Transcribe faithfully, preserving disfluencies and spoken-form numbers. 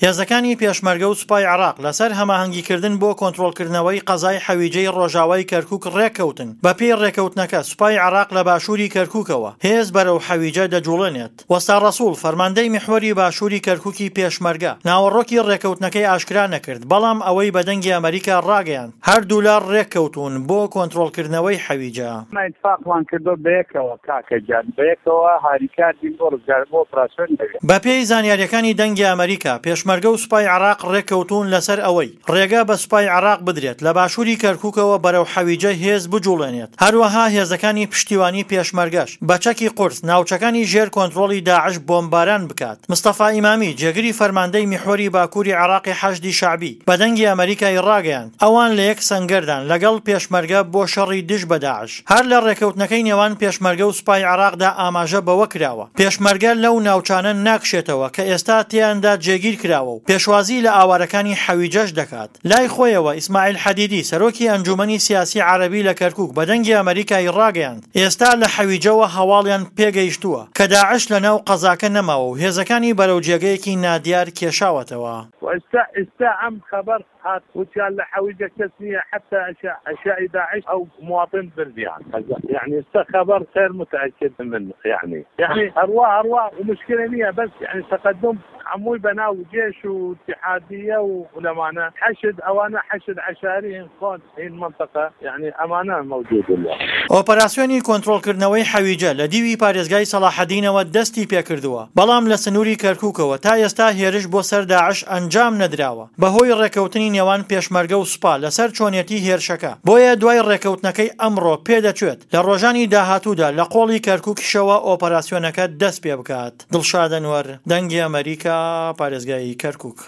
هێزەکانی پێشمەرگە و سوپای عێراق لەسەر هەماهەنگیکردن بۆ کۆنترۆڵکردنەوەی قەزای حەویجەی ڕۆژاوای کەرکوک ڕێککەوتن. بەپێی ڕێککەوتنەکە سوپای عێراق لە باشووری کەرکوکەوە هێز بەرەو حەویجە دەجوڵێنێت. وەستا ڕەسوڵ، فەرماندەی میحوەری باشووری کەرکوکی پێشمەرگە، ناوەڕۆکی ڕێککەوتنەکەی ئاشکرا نەکرد، بەڵام ئەوەی بە دەنگی ئەمەریکا ڕاگەیاند، هەردوولا ڕێککەوتوون بۆ کۆنترۆڵکردنەوەی حەویجە. ئێمە ئیتفاقمان کردووە بەیەکەوە کاکە گیان، بەیەکەوە هاریکار بین بۆ ڕزگار بۆ ئۆپراسیۆنی ئەوێ. بەپێی زانیارییەکانی دەنگی ئەمەریکا، پێشمەرگە و سوپای عێراق ڕێککەوتوون لەسەر ئەوەی ڕێگە بە سوپای عێراق بدرێت لە باشووری کەرکوکەوە بەرەو حەویجە هێز بجوڵێنێت، هەروەها هێزەکانی پشتیوانی پێشمەرگەش بە چەکی قورس ناوچەکانی ژێر کۆنترۆڵی داعش بۆمباران بکات. مستەفا ئیمامی، جێگری فەرماندەی میحوەری باکووری عێراقی حەشدی شەعبی، بە دەنگی ئەمەریکای ڕاگەیاند، ئەوان لە یەک سەنگەردان لەگەڵ پێشمەرگە بۆ شەڕی دژ بە داعش. هەر لە ڕێکەوتنەکەی نێوان پێشمەرگە و سوپای عێراقدا ئاماژە بەوە کراوە، پێشمەرگە لەو ناوچانە ناکشێتەوە کە ئێستا تێیاندا جێگیر کراوە و پێشوازی لە ئاوارەکانی حەویجەش دەکات. لای خۆیەوە ئیسماعیل حەدیدی، سەرۆکی ئەنجومەنی سیاسی عەرەبی لە کەرکوک بە دەنگی ئەمەریکای ڕاگەیاند، ئێستا لە حەویجەوە هەواڵیان پێگەیشتووە کە داعش لە ناو قەزاکە نەماوە و هێزەکانی بەرەو جێگەیەکی نادیار کێشاوەتەوە. وئێستا ئێستا ئەم خەبەر هات وتیان لە حەویجە کەس نییە حەتا ئەشیائی داعش ئەو مواطن بردیان یەعنی ئێستا خەبەر غەیر متەئەکد من یەعنی یەعنی هەروا هەروا ومشکلە نییە بەس یەعنی تەقەدوم هەمووی بەناو جێش و اتحادیە و لەمانە حەشد ئەوانە حەشد عەشاری هین خۆن هین منطقە یەعنی ئەمانە مەوجود اللە. ئۆپەراسیۆنی کۆنترۆڵکردنەوەی حەویجە لە دیوی پارێزگای سەڵاحەدینەوە دەستی پێکردووە، بەڵام لە سنووری کەرکوکەوە تا ئێستا هێرش بۆ سەر داعش ئەنجام نەدراوە بەهۆی ڕێککەوتنی نێوان پێشمەرگە و سوپا لەسەر چۆنیەتی هێرشەکە، بۆیە دوای ڕێککەوتنەکەی ئەمڕۆ پێدەچێت لە ڕۆژانی داهاتوودا لە قۆڵی کەرکوکیشەوە ئۆپەراسیۆنەکە دەستپێبکات. دڵشاد ئەنوەر، دەنگی ئەمەریکا، پارێزگای کەرکوک.